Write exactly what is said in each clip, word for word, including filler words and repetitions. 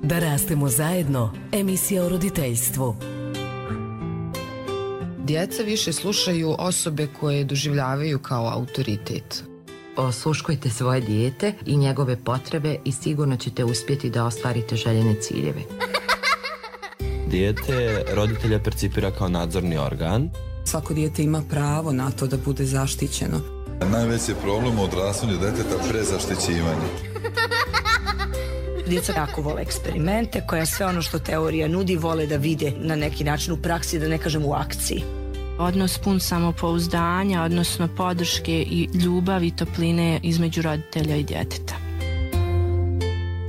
Da rastemo zajedno, emisija o roditeljstvu. Djeca više slušaju osobe koje doživljavaju kao autoritet. Osluškujte svoje dijete i njegove potrebe i sigurno ćete uspjeti da ostvarite željene ciljeve. Dijete roditelja percipira kao nadzorni organ. Svako dijete ima pravo na to da bude zaštićeno. Najveći je problem u odrastanju djeteta prezaštićivanje. Djeca jako vole eksperimente, koja sve ono što teorija nudi vole da vide na neki način u praksi, da ne kažem u akciji. Odnos pun samopouzdanja, odnosno podrške i ljubavi i topline između roditelja i djeteta.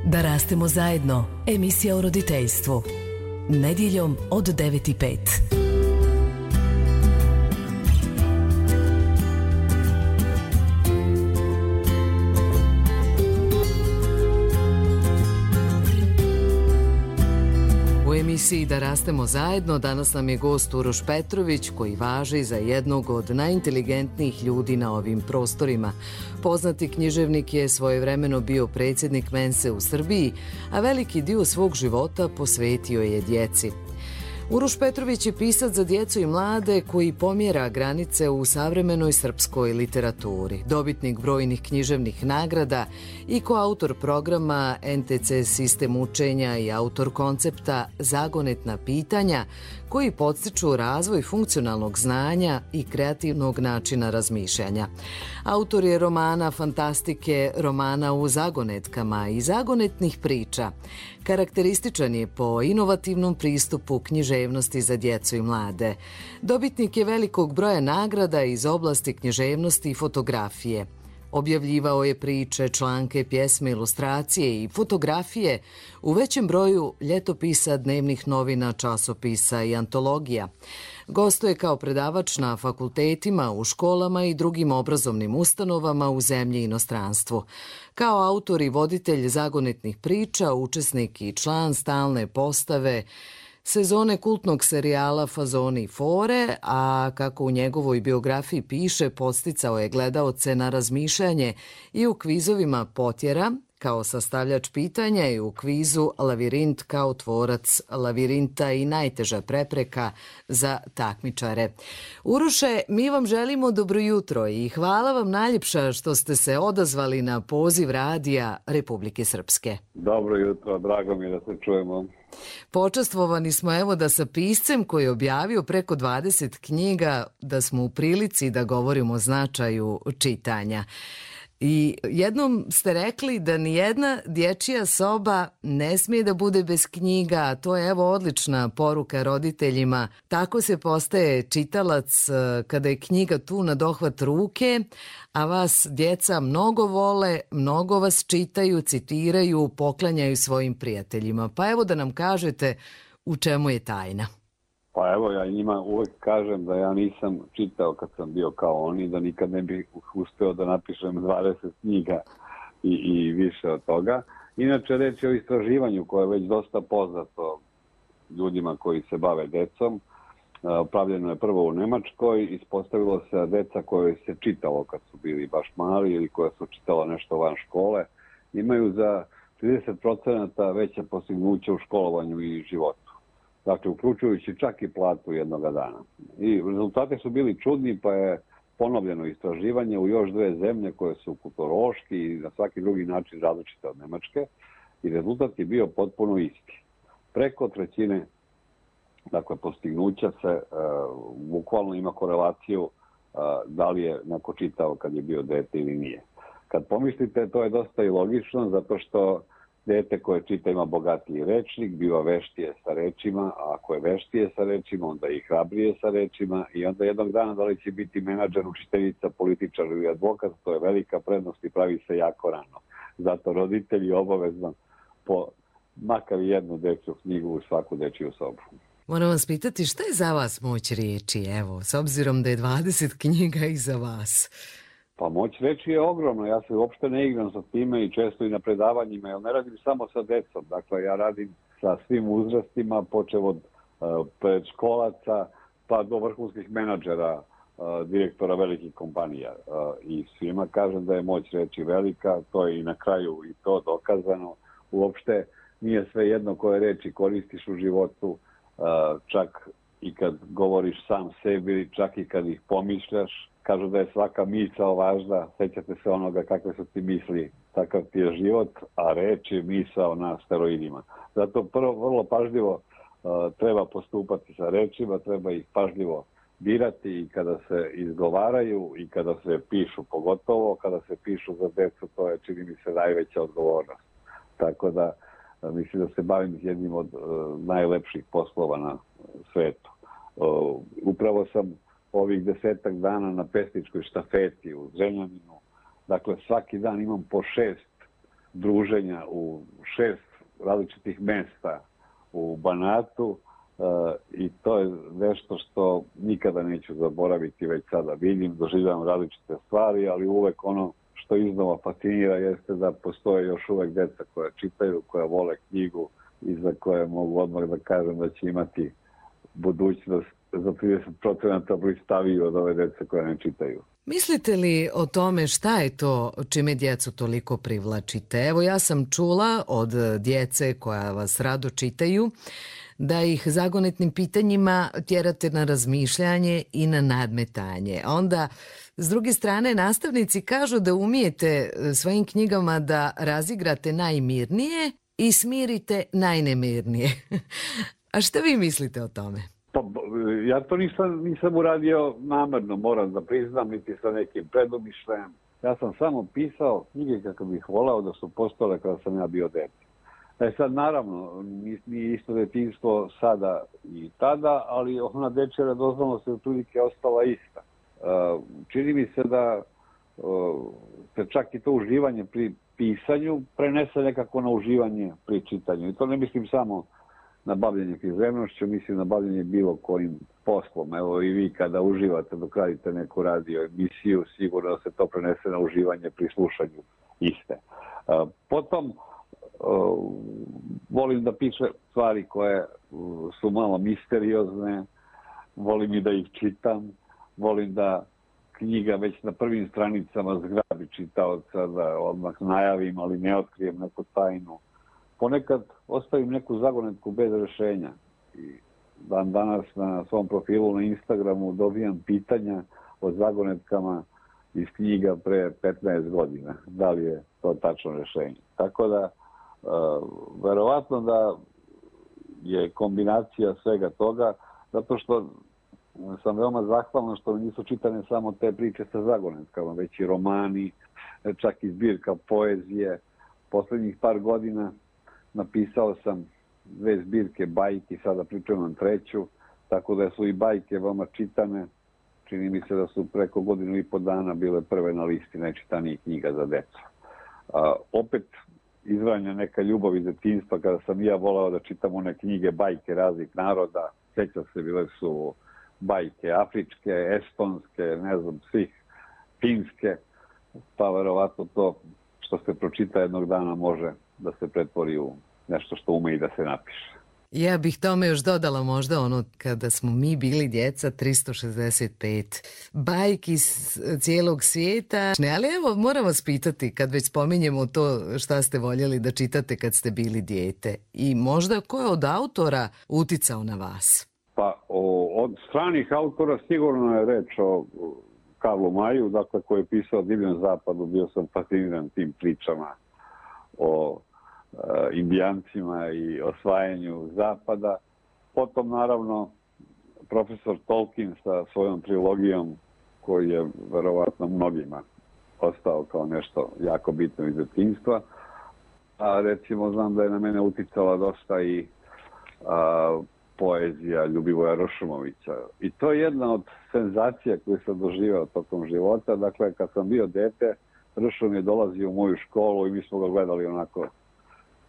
Da rastemo zajedno, emisija o roditeljstvu. Nedjeljom od devet i pet. U emisiji Da rastemo zajedno danas nam je gost Uroš Petrović, koji važi za jednog od najinteligentnijih ljudi na ovim prostorima. Poznati književnik je svojevremeno bio predsjednik Mense u Srbiji, a veliki dio svog života posvetio je djeci. Uroš Petrović je pisac za djecu i mlade koji pomjera granice u savremenoj srpskoj literaturi, dobitnik brojnih književnih nagrada i koautor programa N T C Sistem učenja i autor koncepta Zagonetna pitanja, koji podstiču razvoj funkcionalnog znanja i kreativnog načina razmišljanja. Autor je romana fantastike, romana u zagonetkama i zagonetnih priča. Karakterističan je po inovativnom pristupu književnosti za djecu i mlade. Dobitnik je velikog broja nagrada iz oblasti književnosti i fotografije. Objavljivao je priče, članke, pjesme, ilustracije i fotografije u većem broju ljetopisa, dnevnih novina, časopisa i antologija. Gostuje kao predavač na fakultetima, u školama i drugim obrazovnim ustanovama u zemlji i inostranstvu. Kao autor i voditelj zagonetnih priča, učesnik i član stalne postave sezone kultnog serijala Fazoni i fore, a kako u njegovoj biografiji piše, podsticao je gledaoce na razmišljanje i u kvizovima Potjera, kao sastavljač pitanja, i u kvizu Lavirint kao tvorac lavirinta i najteža prepreka za takmičare. Uroše, mi vam želimo dobro jutro i hvala vam najljepša što ste se odazvali na poziv Radija Republike Srpske. Dobro jutro, drago mi je da se čujemo. Počastvovani smo evo da sa piscem koji je objavio preko dvadeset knjiga, da smo u prilici da govorimo o značaju čitanja. I jednom ste rekli da nijedna dječja soba ne smije da bude bez knjiga, a to je evo odlična poruka roditeljima. Tako se postaje čitalac kada je knjiga tu na dohvat ruke, a vas djeca mnogo vole, mnogo vas čitaju, citiraju, poklanjaju svojim prijateljima. Pa evo da nam kažete u čemu je tajna. Pa evo, ja njima uvijek kažem da ja nisam čitao kad sam bio kao oni, da nikad ne bih uspeo da napišem dvadeset knjiga i, i više od toga. Inače, reč je o istraživanju koje je već dosta poznato ljudima koji se bave decom. Pravljeno je prvo u Nemačkoj, ispostavilo se da deca koje se čitalo kad su bili baš mali ili koje su čitalo nešto van škole, imaju za trideset procenata veće postignuće u školovanju i životu. Dakle, uključujući čak i platu jednoga dana. I rezultati su bili čudni, pa je ponovljeno istraživanje u još dve zemlje koje su kulturološki i na svaki drugi način različite od Nemačke. I rezultat je bio potpuno isti. Preko trećine dakle, postignuća se uh, bukvalno ima korelaciju uh, da li je neko čitao kad je bio dete ili nije. Kad pomislite, to je dosta i logično, zato što dete koje čita ima bogatiji rečnik, biva veštije sa rečima, a ako je veštije sa rečima, onda i hrabrije sa rečima i onda jednog dana da li će biti menadžer, učiteljica, političar ili advokat, to je velika prednost i pravi se jako rano. Zato roditelji obavezno po makar jednu dečju knjigu u svaku dečju sobu. Moram vas pitati, šta je za vas moć riječi, evo, s obzirom da je dvadeset knjiga iza vas? Pa moć reći je ogromno, ja se uopšte ne igram sa time i često i na predavanjima, jer ne radim samo sa decom, dakle ja radim sa svim uzrastima, počev od uh, predškolaca pa do vrhunskih menadžera, uh, direktora velikih kompanija. Uh, I svima kažem da je moć reći velika, to je i na kraju i to dokazano. Uopšte nije sve jedno koje reči koristiš u životu, čak i kad govoriš sam sebi, čak i kad ih pomišljaš. Kažu da je svaka misao važna, sećate se onoga kakve su ti misli, takav ti je život, a reč je misao na steroidima. Zato prvo, vrlo pažljivo uh, treba postupati sa rečima, treba ih pažljivo birati i kada se izgovaraju i kada se pišu, pogotovo kada se pišu za decu, to je, čini mi se, najveća odgovornost. Tako da uh, mislim da se bavim jednim od uh, najlepših poslova na svetu. Uh, upravo sam ovih desetak dana na pesničkoj štafeti u Zrenjaninu. Dakle, svaki dan imam po šest druženja u šest različitih mesta u Banatu e, i to je nešto što nikada neću zaboraviti, već sada vidim, doživljavam različite stvari, ali uvek ono što iznova fascinira jeste da postoje još uvek deca koja čitaju, koja vole knjigu i za koje mogu odmah da kažem da će imati budućnost za trideset procenata blistaviju od ove dece koje ne čitaju. Mislite li o tome šta je to čime djecu toliko privlačite? Evo, ja sam čula od djece koja vas rado čitaju da ih zagonetnim pitanjima tjerate na razmišljanje i na nadmetanje. Onda, s druge strane, nastavnici kažu da umijete svojim knjigama da razigrate najmirnije i smirite najnemirnije. A šta vi mislite o tome? Pa, ja to nisam, nisam uradio namerno, moram da priznam, niti sa nekim predumišljajem. Ja sam samo pisao knjige kako bih volao da su postale kada sam ja bio dete. E sad, naravno, nije isto detinjstvo sada i tada, ali ona dečja radoznalost je otprilike ostala ista. Čini mi se da se čak i to uživanje pri pisanju prenese nekako na uživanje pri čitanju. I to ne mislim samo na bavljenje književnošću, mislim na bavljenje bilo kojim poslom. Evo i vi kada uživate dok radite neku radio emisiju, sigurno da se to prenese na uživanje pri slušanju iste. Potom volim da pišem stvari koje su malo misteriozne, volim i da ih čitam, volim da knjiga već na prvim stranicama zgrabi čitaoca, da odmah najavim, ali ne otkrijem neku tajnu. Ponekad ostavim neku zagonetku bez rešenja. I dan danas na svom profilu na Instagramu dobijam pitanja o zagonetkama iz knjiga pre petnaest godina. Da li je to tačno rešenje? Tako da, uh, verovatno da je kombinacija svega toga, zato što sam veoma zahvalan što mi nisu čitane samo te priče sa zagonetkama, već i romani, čak i zbirka poezije. Poslednjih par godina napisao sam dve zbirke bajki, sada pripremam treću, tako da su i bajke veoma čitane. Čini mi se da su preko godinu i po dana bile prve na listi najčitanijih knjiga za decu. A, opet izranja neka ljubav iz detinjstva kada sam ja volao da čitam one knjige, bajke raznih naroda. Sjećam se, bile su bajke afričke, estonske, ne znam, svih, finske, pa verovatno to što se pročita jednog dana može da se pretvori u nešto što ume i da se napiše. Ja bih tome još dodala možda ono kada smo mi bili djeca tristo šezdeset pet bajki iz cijelog svijeta. Ali evo, moram vas pitati kad već spominjemo to šta ste voljeli da čitate kad ste bili dijete i možda ko je od autora uticao na vas? Pa o, od stranih autora sigurno je reč o Karlu Maju, dakle koji je pisao Divljem zapadu, bio sam fasciniran tim pričama o Indijancima i osvajanju zapada. Potom naravno profesor Tolkien sa svojom trilogijom koji je verovatno mnogima ostao kao nešto jako bitno iz detinjstva. A recimo znam da je na mene uticala dosta i a, poezija Ljubivoja Rošumovića. I to je jedna od senzacija koju sam doživao tokom života. Dakle, kad sam bio dete, Rošum je dolazio u moju školu i mi smo ga gledali onako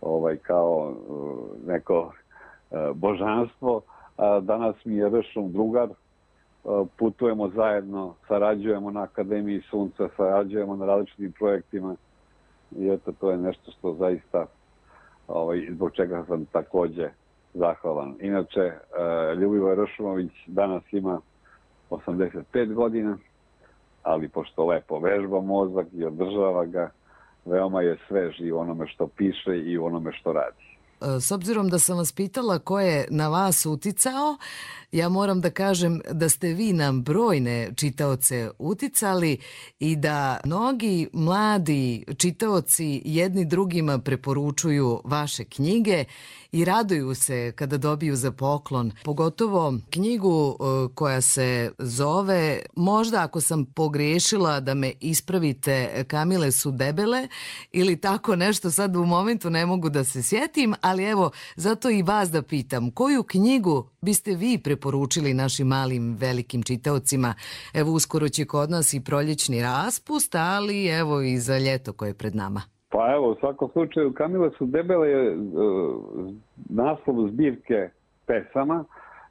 ovaj, kao uh, neko uh, božanstvo. A danas mi je Ršum drugar, uh, putujemo zajedno, sarađujemo na Akademiji Sunca, sarađujemo na različitim projektima i eto, to je nešto što zaista, ovaj, zbog čega sam takođe zahvalan. Inače, uh, Ljubivoj Ršumović danas ima osamdeset pet godina, ali pošto lepo vežba mozak i održava ga, veoma je svež i u onome što piše i u onome što radi. S obzirom da sam vas pitala ko je na vas uticao, ja moram da kažem da ste vi nam brojne čitaoce uticali i da mnogi mladi čitaoci jedni drugima preporučuju vaše knjige i raduju se kada dobiju za poklon. Pogotovo knjigu koja se zove, možda ako sam pogrešila da me ispravite, Kamile su debele ili tako nešto, sad u momentu ne mogu da se sjetim, ali evo, zato i vas da pitam, koju knjigu biste vi preporučili našim malim, velikim čitaocima? Evo, uskoro će kod nas i proljećni raspust, ali evo i za ljeto koje je pred nama. Pa evo, u svakom slučaju, Kamile su debele je uh, naslov zbirke pesama.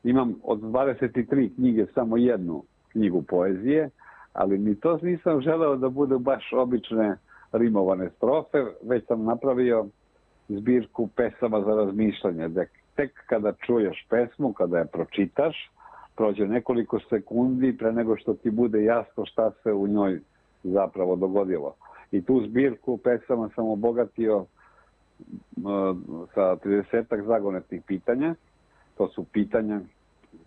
Imam od dvadeset tri knjige samo jednu knjigu poezije, ali ni to nisam želeo da bude baš obične rimovane strofe, već sam napravio zbirku pesama za razmišljanje. Tek kada čuješ pesmu, kada je pročitaš, prođe nekoliko sekundi pre nego što ti bude jasno šta se u njoj zapravo dogodilo. I tu zbirku pesama sam obogatio uh, sa tridesetak zagonetnih pitanja. To su pitanja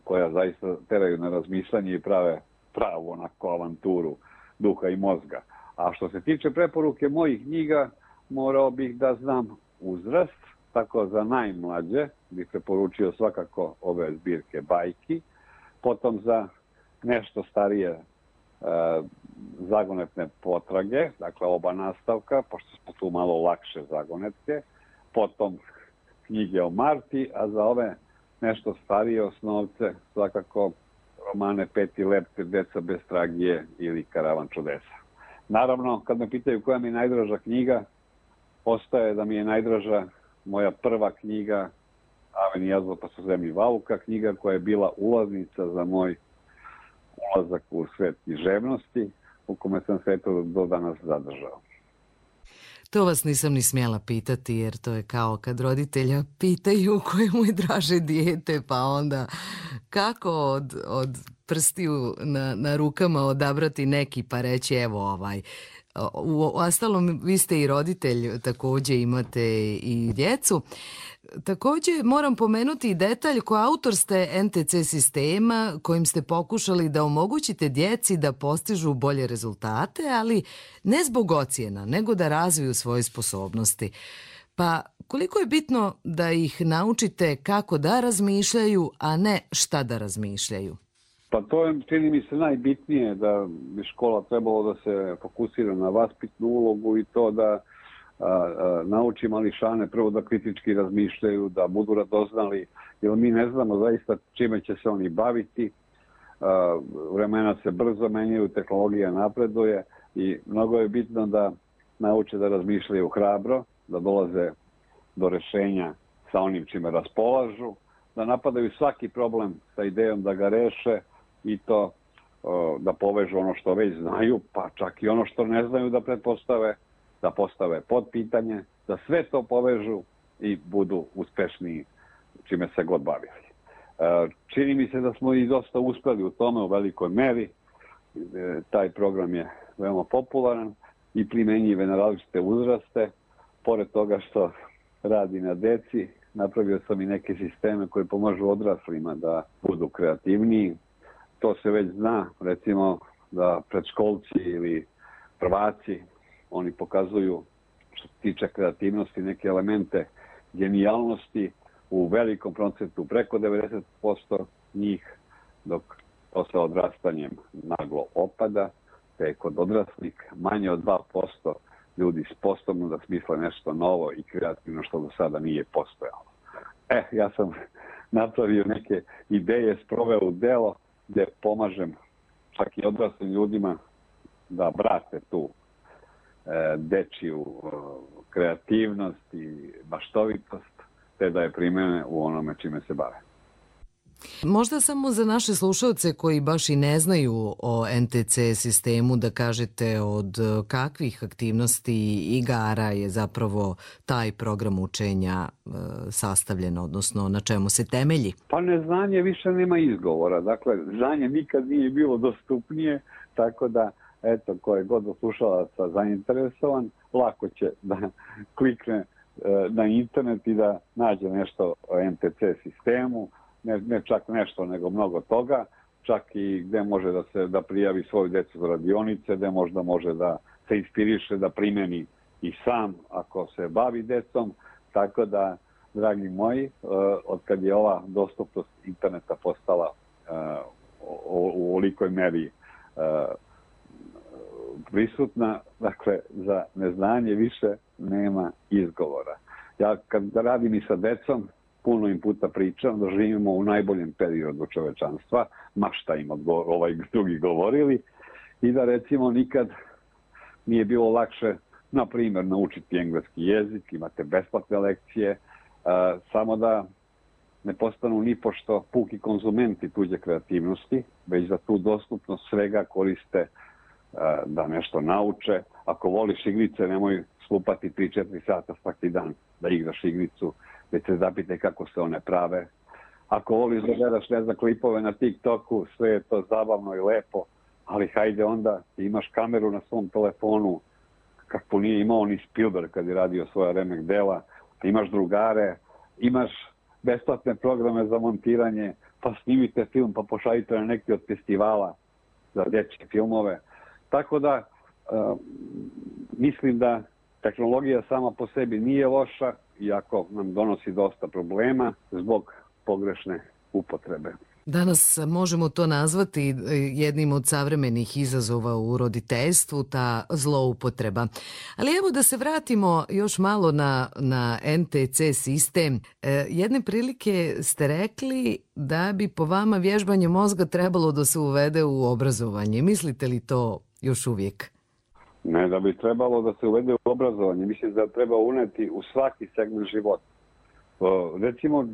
koja zaista teraju na razmišljanje i prave pravu onako avanturu duha i mozga. A što se tiče preporuke mojih knjiga, morao bih da znam uzrast, tako za najmlađe bih preporučio svakako ove zbirke bajki, potom za nešto starije e, zagonetne potrage, dakle oba nastavka, pošto smo tu malo lakše zagonetke, potom knjige o Marti, a za ove nešto starije osnovce svakako romane Peti leptir, Deca bez tragije ili Karavan čudesa. Naravno, kad me pitaju koja mi je najdraža knjiga, ostaje da mi je najdraža moja prva knjiga Aven i Jazva pa su zemlji Vauka, knjiga koja je bila ulaznica za moj ulazak u svet književnosti, u kome sam se eto do danas zadržao. To vas nisam ni smjela pitati, jer to je kao kad roditelja pitaju koje mu je draže dijete, pa onda kako od, od prstiju na, na rukama odabrati neki pa reći evo ovaj. U ostalom, vi ste i roditelj, također imate i djecu. Također moram pomenuti i detalj ko autor ste en te ce sistema kojim ste pokušali da omogućite djeci da postižu bolje rezultate, ali ne zbog ocjena, nego da razviju svoje sposobnosti. Pa koliko je bitno da ih naučite kako da razmišljaju, a ne šta da razmišljaju? Pa to je, čini mi se, najbitnije, da bi škola trebalo da se fokusira na vaspitnu ulogu i to da a, a, nauči mališane prvo da kritički razmišljaju, da budu radoznali, jer mi ne znamo zaista čime će se oni baviti. A, vremena se brzo menjaju, tehnologija napreduje i mnogo je bitno da nauče da razmišljaju hrabro, da dolaze do rešenja sa onim čime raspolažu, da napadaju svaki problem sa idejom da ga reše, i to o, da povežu ono što već znaju, pa čak i ono što ne znaju da pretpostave, da postave pod pitanje, da sve to povežu i budu uspešniji čime se god bavili. E, čini mi se da smo i dosta uspeli u tome u velikoj meri. E, taj program je veoma popularan i primenjive na različite uzraste. Pored toga što radi na deci, napravio sam i neke sisteme koje pomažu odraslima da budu kreativniji. To se već zna, recimo da predškolci ili prvaci, oni pokazuju što se tiče kreativnosti neke elemente genijalnosti u velikom procentu, preko devedeset posto njih, dok to sa odrastanjem naglo opada, te kod odraslih manje od dva posto ljudi sposobno da smisle nešto novo i kreativno što do sada nije postojalo. E, ja sam napravio neke ideje, sproveo u delo, gdje pomažem čak i odraslim ljudima da vrate tu e, dečiju e, kreativnost i maštovitost, te da je primene u onome čime se bave. Možda samo za naše slušalce koji baš i ne znaju o en te ce sistemu da kažete od kakvih aktivnosti i igara je zapravo taj program učenja e, sastavljen, odnosno na čemu se temelji? Pa neznanje više nema izgovora. Dakle, znanje nikad nije bilo dostupnije, tako da, eto, ko je god od slušalaca zainteresovan, lako će da klikne na internet i da nađe nešto o en te ce sistemu, ne, ne čak nešto, nego mnogo toga, čak i gde može da se da prijavi svoju decu za radionice, gde možda može da se inspiriše, da primeni i sam ako se bavi decom, tako da, dragi moji, od kad je ova dostupnost interneta postala u ovolikoj meri prisutna, dakle, za neznanje više nema izgovora. Ja kad radim i sa decom, puno im puta pričam da živimo u najboljem periodu čovečanstva, ma šta im ovaj drugi govorili, i da recimo nikad nije bilo lakše, na primjer, naučiti engleski jezik, imate besplatne lekcije, samo da ne postanu ni pošto puki konzumenti tuđe kreativnosti, već da tu dostupnost svega koriste da nešto nauče. Ako voliš igrice, nemoj slupati tri četiri sata svaki dan da igraš igricu, već se zapite kako se one prave. Ako voliš da gledaš, ne znam, klipove na TikToku, sve je to zabavno i lepo, ali hajde onda, imaš kameru na svom telefonu, kako nije imao ni Spielberg kad je radio svoja remek dela, imaš drugare, imaš besplatne programe za montiranje, pa snimite film, pa pošaljite na neki od festivala za dječje filmove. Tako da, uh, mislim da tehnologija sama po sebi nije loša, iako nam donosi dosta problema zbog pogrešne upotrebe. Danas možemo to nazvati jednim od savremenih izazova u roditeljstvu, ta zloupotreba. Ali evo da se vratimo još malo na, na en te ce sistem. E, jedne prilike ste rekli da bi po vama vježbanje mozga trebalo da se uvede u obrazovanje. Mislite li to još uvijek? Ne da bi trebalo da se uvede u obrazovanje. Mislim da treba uneti u svaki segment života. Recimo,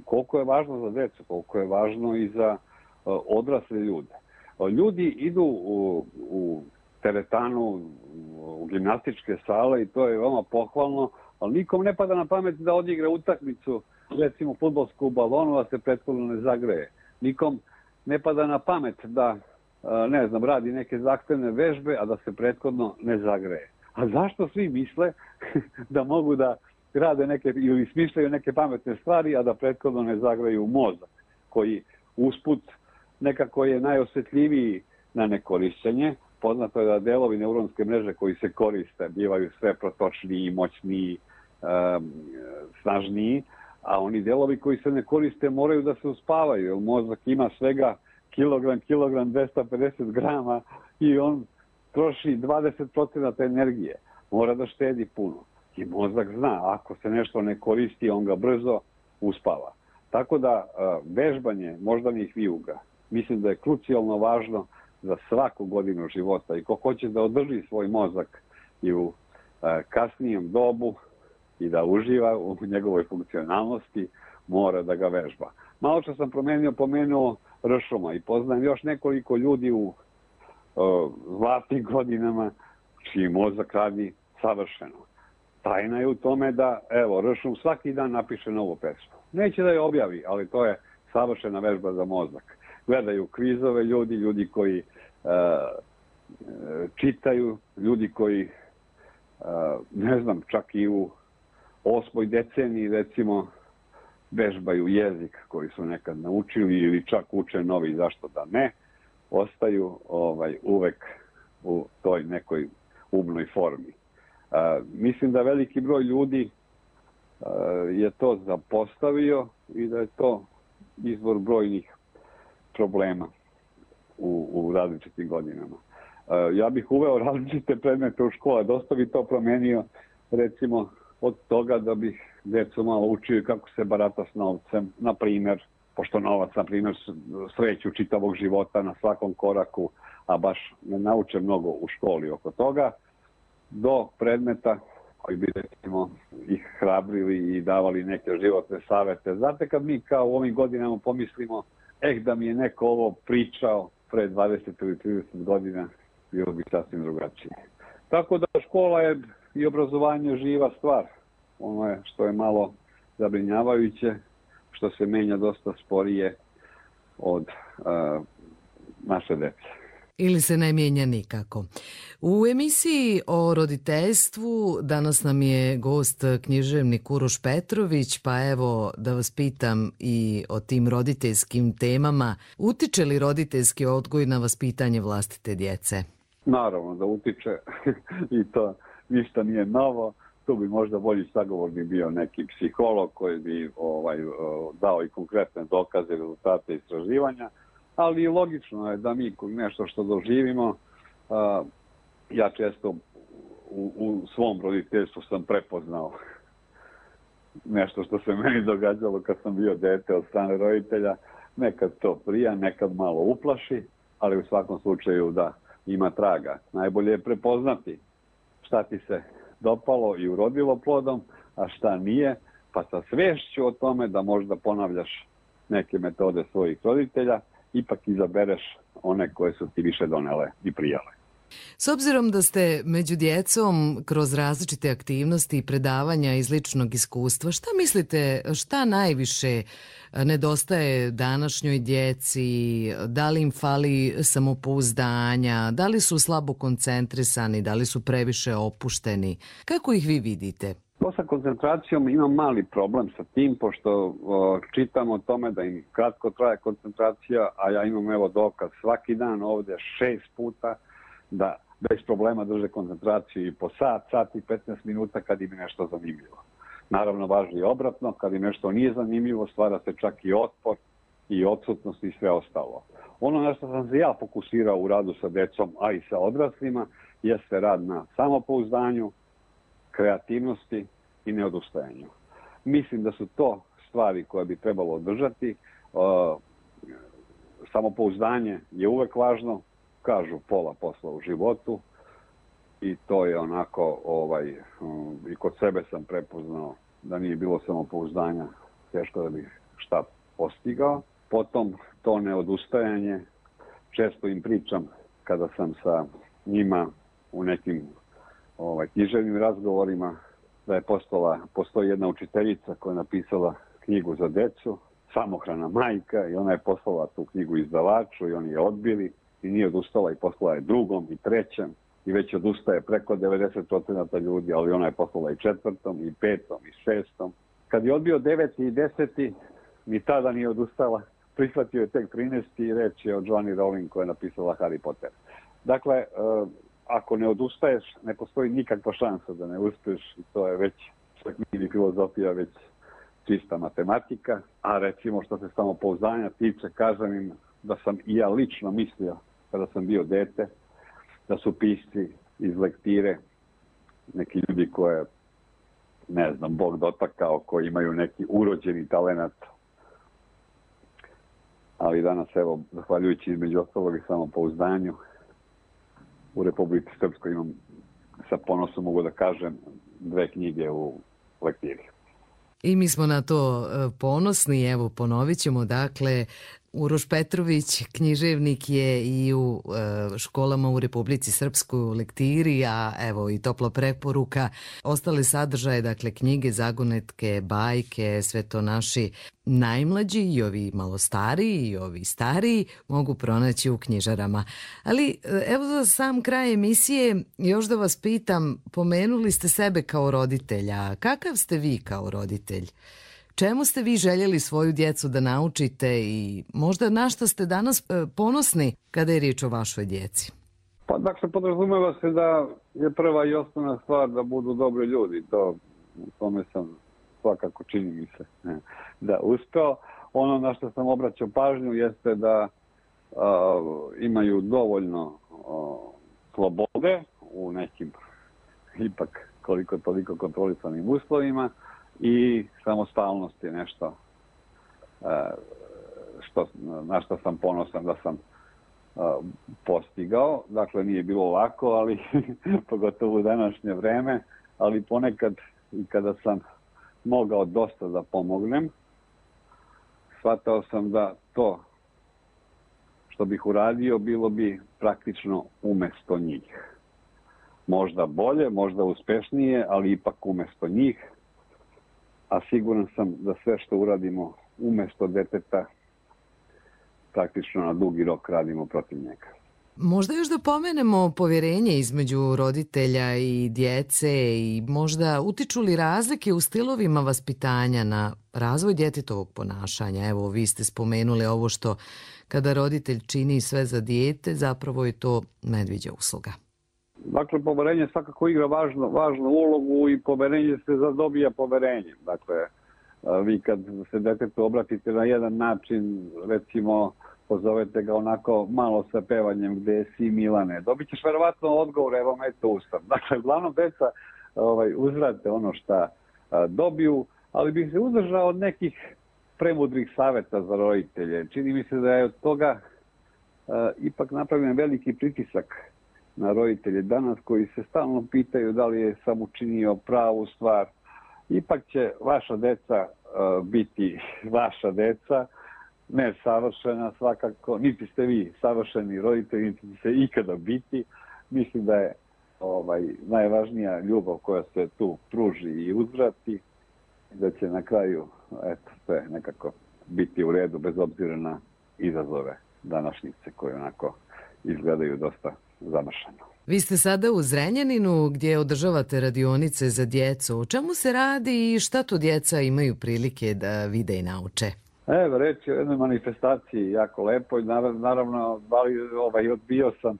koliko je važno za djecu, koliko je važno i za odrasle ljude. Ljudi idu u, u teretanu, u gimnastičke sale i to je veoma pohvalno, ali nikom ne pada na pamet da odigra utakmicu, recimo fudbalsku balonu, da se prethodno ne zagreje. Nikom ne pada na pamet da, ne znam, radi neke zahtevne vežbe, a da se prethodno ne zagreje. A zašto svi misle da mogu da rade neke ili smišljaju neke pametne stvari, a da prethodno ne zagreju mozak, koji usput nekako je najosjetljiviji na nekorišćenje. Poznato je da delovi neuronske mreže koji se koriste bivaju sve protočniji, moćniji, um, snažniji, a oni delovi koji se ne koriste moraju da se uspavaju, jer mozak ima svega kilogram, kilogram, dvesta pedeset grama i on troši dvadeset procenata energije. Mora da štedi puno. I mozak zna, ako se nešto ne koristi, on ga brzo uspava. Tako da vežbanje moždanih vijuga, mislim da je krucijalno važno za svaku godinu života. I ko hoće da održi svoj mozak i u kasnijem dobu i da uživa u njegovoj funkcionalnosti, mora da ga vežba. Malo što sam promenio, pomenuo ršuma i poznajem još nekoliko ljudi u zlatnim godinama čiji mozak radi savršeno. Tajna je u tome da, evo, Ršum svaki dan napiše novu pesmu. Neće da je objavi, ali to je savršena vežba za mozak. Gledaju kvizove ljudi, ljudi koji uh, čitaju, ljudi koji, uh, ne znam, čak i u osmoj deceniji, recimo, vežbaju jezik koji su nekad naučili ili čak uče novi, zašto da ne, ostaju ovaj, uvek u toj nekoj umnoj formi. Uh, mislim da veliki broj ljudi uh, je to zapostavio i da je to izvor brojnih problema u, u različitim godinama. Uh, ja bih uveo različite predmete u škole, dosta bi to promenio, recimo, od toga da bih djecu malo učio kako se barata s novcem, na primjer, pošto novac, na primjer, sreću čitavog života na svakom koraku, a baš ne nauče mnogo u školi oko toga, do predmeta koji bi, recimo, ih hrabrili i davali neke životne savete. Znate, kad mi kao u ovim godinama pomislimo, eh, da mi je neko ovo pričao pre dvadeset ili trideset godina, bilo bi sasvim drugačije. Tako da škola je i obrazovanje živa stvar. Ono je što je malo zabrinjavajuće, što se menja dosta sporije od uh, naše dece. Ili se ne mijenja nikako. U emisiji o roditeljstvu danas nam je gost književnik Uroš Petrović, pa evo da vas pitam i o tim roditeljskim temama. Utiče li roditeljski odgoj na vaspitanje vlastite djece? Naravno da utiče i to ništa nije novo. Tu bi možda bolji sagovornik bio neki psiholog koji bi ovaj, dao i konkretne dokaze, rezultate istraživanja. Ali logično je da mi nešto što doživimo, a, ja često u, u svom roditeljstvu sam prepoznao nešto što se meni događalo kad sam bio dete od strane roditelja. Nekad to prija, nekad malo uplaši, ali u svakom slučaju da ima traga. Najbolje je prepoznati šta ti se dopalo i urodilo plodom, a šta nije, pa sa svešću o tome da možda ponavljaš neke metode svojih roditelja, ipak izabereš one koje su ti više donele i prijale. S obzirom da ste među djecom kroz različite aktivnosti i predavanja iz ličnog iskustva, šta mislite šta najviše nedostaje današnjoj djeci? Da li im fali samopouzdanja? Da li su slabo koncentrisani? Da li su previše opušteni? Kako ih vi vidite? To sa koncentracijom imam mali problem sa tim, pošto o, čitam o tome da im kratko traje koncentracija, a ja imam evo dokaz svaki dan ovdje šest puta da bez problema drže koncentraciju i po sat, sat i petnaest minuta kad im je nešto zanimljivo. Naravno, važi i obratno, kad im nešto nije zanimljivo, stvara se čak i otpor i odsutnost i sve ostalo. Ono na što sam se ja fokusirao u radu sa decom, a i sa odraslima, jeste rad na samopouzdanju, kreativnosti i neodustajanju. Mislim da su to stvari koje bi trebalo održati. Uh, samopouzdanje je uvek važno, kažu pola posla u životu, i to je onako, ovaj, um, i kod sebe sam prepoznao da nije bilo samopouzdanja, teško da bih šta postigao. Potom to neodustajanje, često im pričam kada sam sa njima u nekim ovaj, književnim razgovorima, da je postala, postoji jedna učiteljica koja je napisala knjigu za decu, Samohrana majka, i ona je poslala tu knjigu izdavaču i oni je odbili i nije odustala i poslala je drugom i trećem i već odustaje preko devedeset posto ljudi, ali ona je poslala i četvrtom i petom i šestom. Kad je odbio deveti i deseti, ni tada nije odustala, prihvatio je tek trinaesti i reč je od Joanne Rowling koja je napisala Harry Potter. Dakle, ako ne odustaješ, ne postoji nikakva šansa da ne uspeš, i to je već, čak nije filozofija, već čista matematika. A recimo što se samopouzdanja tiče, kažem im da sam i ja lično mislio kada sam bio dete, da su pisci iz lektire neki ljudi koje, ne znam, Bog dotakao, koji imaju neki urođeni talenat. Ali danas, evo, zahvaljujući između ostalog i samopouzdanju, u Republici Srpskoj imam, sa ponosom mogu da kažem, dve knjige u lektiri. I mi smo na to ponosni, evo ponovit ćemo, dakle, Uroš Petrović, književnik je i u e, školama u Republici Srpskoj u lektiri, a evo i topla preporuka. Ostale sadržaje, dakle knjige, zagonetke, bajke, sve to naši najmlađi i ovi malo stariji i ovi stariji mogu pronaći u knjižarama. Ali evo za sam kraj emisije još da vas pitam, pomenuli ste sebe kao roditelja. Kakav ste vi kao roditelj? Čemu ste vi željeli svoju djecu da naučite i možda na šta ste danas ponosni kada je riječ o vašoj djeci? Pa dakle, podrazumeva se da je prva i osnovna stvar da budu dobri ljudi. To, u tome sam svakako, čini mi se, da uspeo. Ono na što sam obraćao pažnju jeste da a, imaju dovoljno a, slobode u nekim ipak koliko toliko kontrolisanim uslovima, i samostalnost je nešto što, na što sam ponosan da sam postigao. Dakle, nije bilo lako, ali pogotovo u današnje vreme, ali ponekad i kada sam mogao dosta da pomognem, shvatao sam da to što bih uradio bilo bi praktično umesto njih. Možda bolje, možda uspešnije, ali ipak umesto njih. A siguran sam da sve što uradimo umesto deteta praktično na dugi rok radimo protiv njega. Možda još da pomenemo povjerenje između roditelja i djece i možda utiču li razlike u stilovima vaspitanja na razvoj djetetovog ponašanja. Evo, vi ste spomenuli ovo što kada roditelj čini sve za dijete, zapravo je to medvjeđa usluga. Dakle, poverenje svakako igra važnu, važnu ulogu i poverenje se zadobija poverenjem. Dakle, vi kad se detetu obratite na jedan način, recimo, pozovete ga onako malo sa pevanjem gde si Milane, dobit ćeš verovatno odgovor, evo me to usam. Dakle, uglavnom deca ovaj, uzvrate ono šta a, dobiju, ali bih se uzdržao od nekih premudrih saveta za roditelje. Čini mi se da je od toga a, ipak napravljen veliki pritisak na roditelje danas koji se stalno pitaju da li je sam učinio pravu stvar. Ipak će vaša deca uh, biti vaša deca, ne savršena svakako, niti ste vi savršeni roditelji, niti će se ikada biti. Mislim da je ovaj, najvažnija ljubav koja se tu pruži i uzvrati, da će na kraju eto, sve nekako biti u redu bez obzira na izazove današnjice koje onako izgledaju dosta zamršeno. Vi ste sada u Zrenjaninu gdje održavate radionice za djecu. O čemu se radi i šta to djeca imaju prilike da vide i nauče? Evo, reći o jednoj manifestaciji jako lepo i naravno ovaj, odbio sam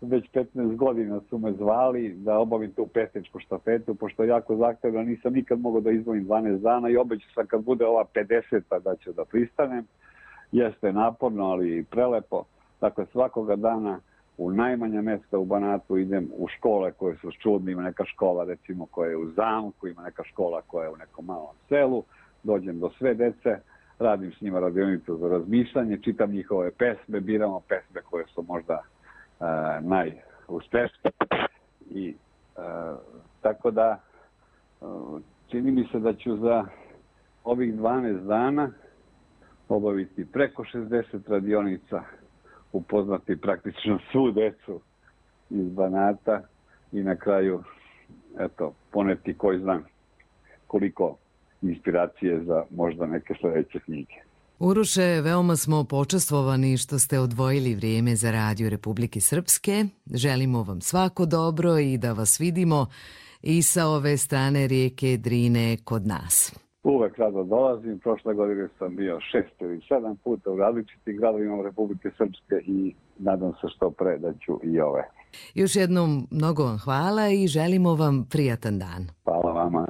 već petnaest godina su me zvali da obavim tu pesničku štafetu, pošto je jako zahtevno, nisam nikad mogao da izvojim dvanaest dana i obećao sam kad bude ova pedeseta da ću da pristanem. Jeste naporno, ali prelepo. Dakle, svakoga dana u najmanja mjesta u Banatu idem u škole koje su čudne, ima neka škola recimo koja je u zamku, ima neka škola koja je u nekom malom selu, dođem do sve dece, radim s njima radionicu za razmišljanje, čitam njihove pesme, biramo pesme koje su možda uh, najuspešnije i uh, tako da uh, čini mi se da ću za ovih dvanaest dana obaviti preko šezdeset radionica, upoznati praktično svu decu iz Banata i na kraju eto, poneti koji znam koliko inspiracije za možda neke sljedeće knjige. Uroše, veoma smo počastvovani što ste odvojili vrijeme za Radio Republike Srpske. Želimo vam svako dobro i da vas vidimo i sa ove strane rijeke Drine kod nas. Uvek rado dolazim. Prošle godine sam bio šest ili sedam puta u različitim gradovima Republike Srpske i nadam se što pre da ću i ove. Još jednom mnogo vam hvala i želimo vam prijatan dan. Hvala vama.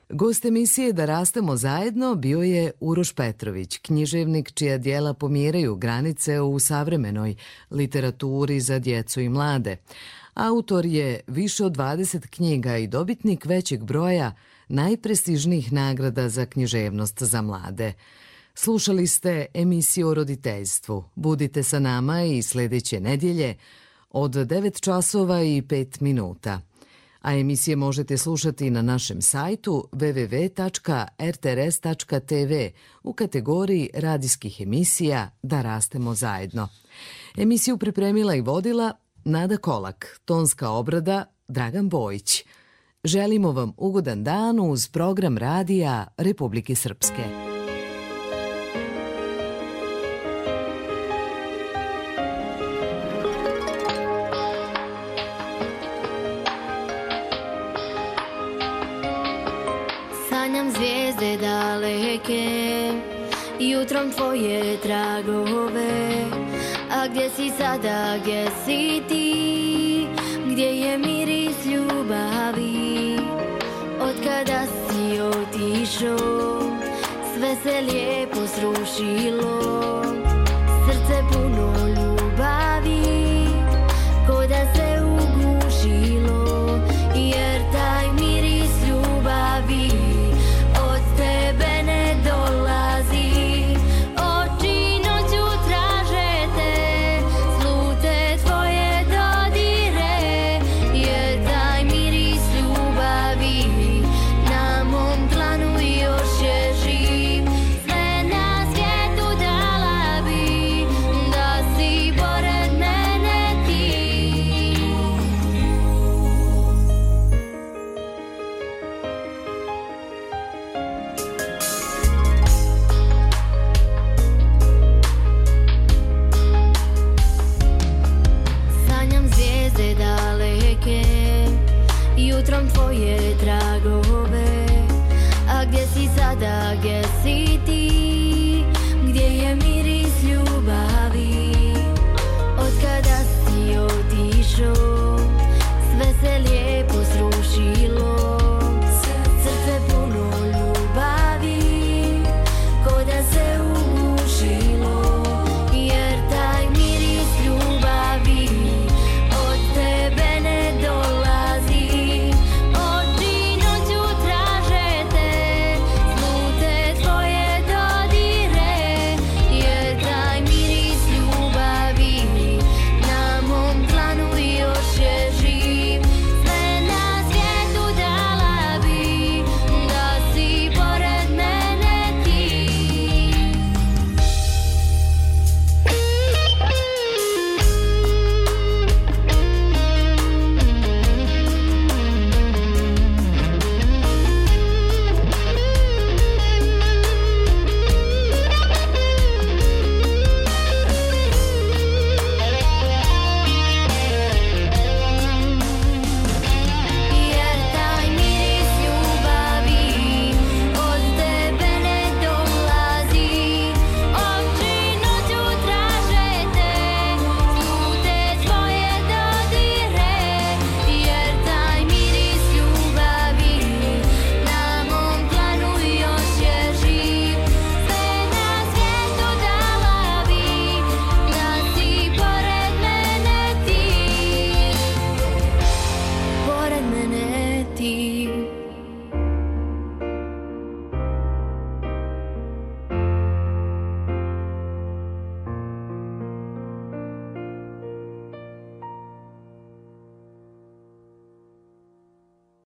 Gost emisije Da rastemo zajedno bio je Uroš Petrović, književnik čija djela pomjeraju granice u savremenoj literaturi za djecu i mlade. Autor je više od dvadeset knjiga i dobitnik većeg broja najprestižnijih nagrada za književnost za mlade. Slušali ste emisiju o roditeljstvu. Budite sa nama i sljedeće nedjelje od devet časova i pet minuta. A emisije možete slušati na našem sajtu w w w tačka r t r s tačka t v u kategoriji radijskih emisija Da rastemo zajedno. Emisiju pripremila i vodila Nada Kolak, tonska obrada Dragan Bojić. Želimo vam ugodan dan uz program Radija Republike Srpske. Sanjam zvijezde daleke, jutrom tvoje tragove, a gdje si sada, gdje si ti, gdje je miris ljubavi? Od kada si otišao, sve se lijepo srušilo, srce puno ljubavi, ko da se ugušilo, jer taj miris ljubavi od tebe ne dolazi. Oči noću traže te, slute tvoje dodire, jer taj miris ljubavi na mom dlanu još je živ. Sve na svijetu dala jutrom tvoje tragove. A gdje si sada, gdje si ti, gdje je miris ljubavi? Od kada si otišao, sve se lijepo